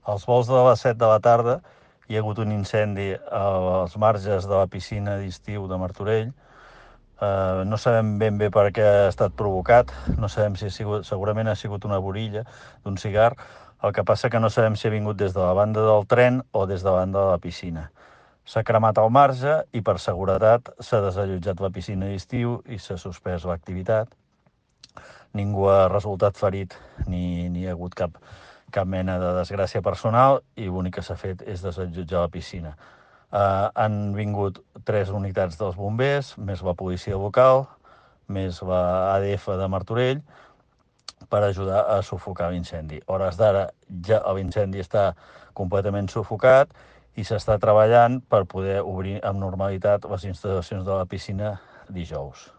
Als vols de les 7 de la tarda hi ha hagut un incendi als marges de la piscina d'estiu de Martorell. No sabem ben bé per què ha estat provocat, no sabem si ha sigut, segurament ha sigut una borilla d'un cigar. El que passa que no sabem si ha vingut des de la banda del tren o des de la banda de la piscina. S'ha cremat el marge i per seguretat s'ha desallotjat la piscina d'estiu i s'ha suspès l'activitat. Ningú ha resultat ferit ni hi ha hagut cap mena de desgràcia personal i l'únic que s'ha fet és desallotjar la piscina. Han vingut 3 unitats dels bombers, més la policia local, més la ADF de Martorell, per ajudar a sufocar l'incendi. A hores d'ara ja l'incendi està completament sufocat i s'està treballant per poder obrir amb normalitat les instal·lacions de la piscina dijous.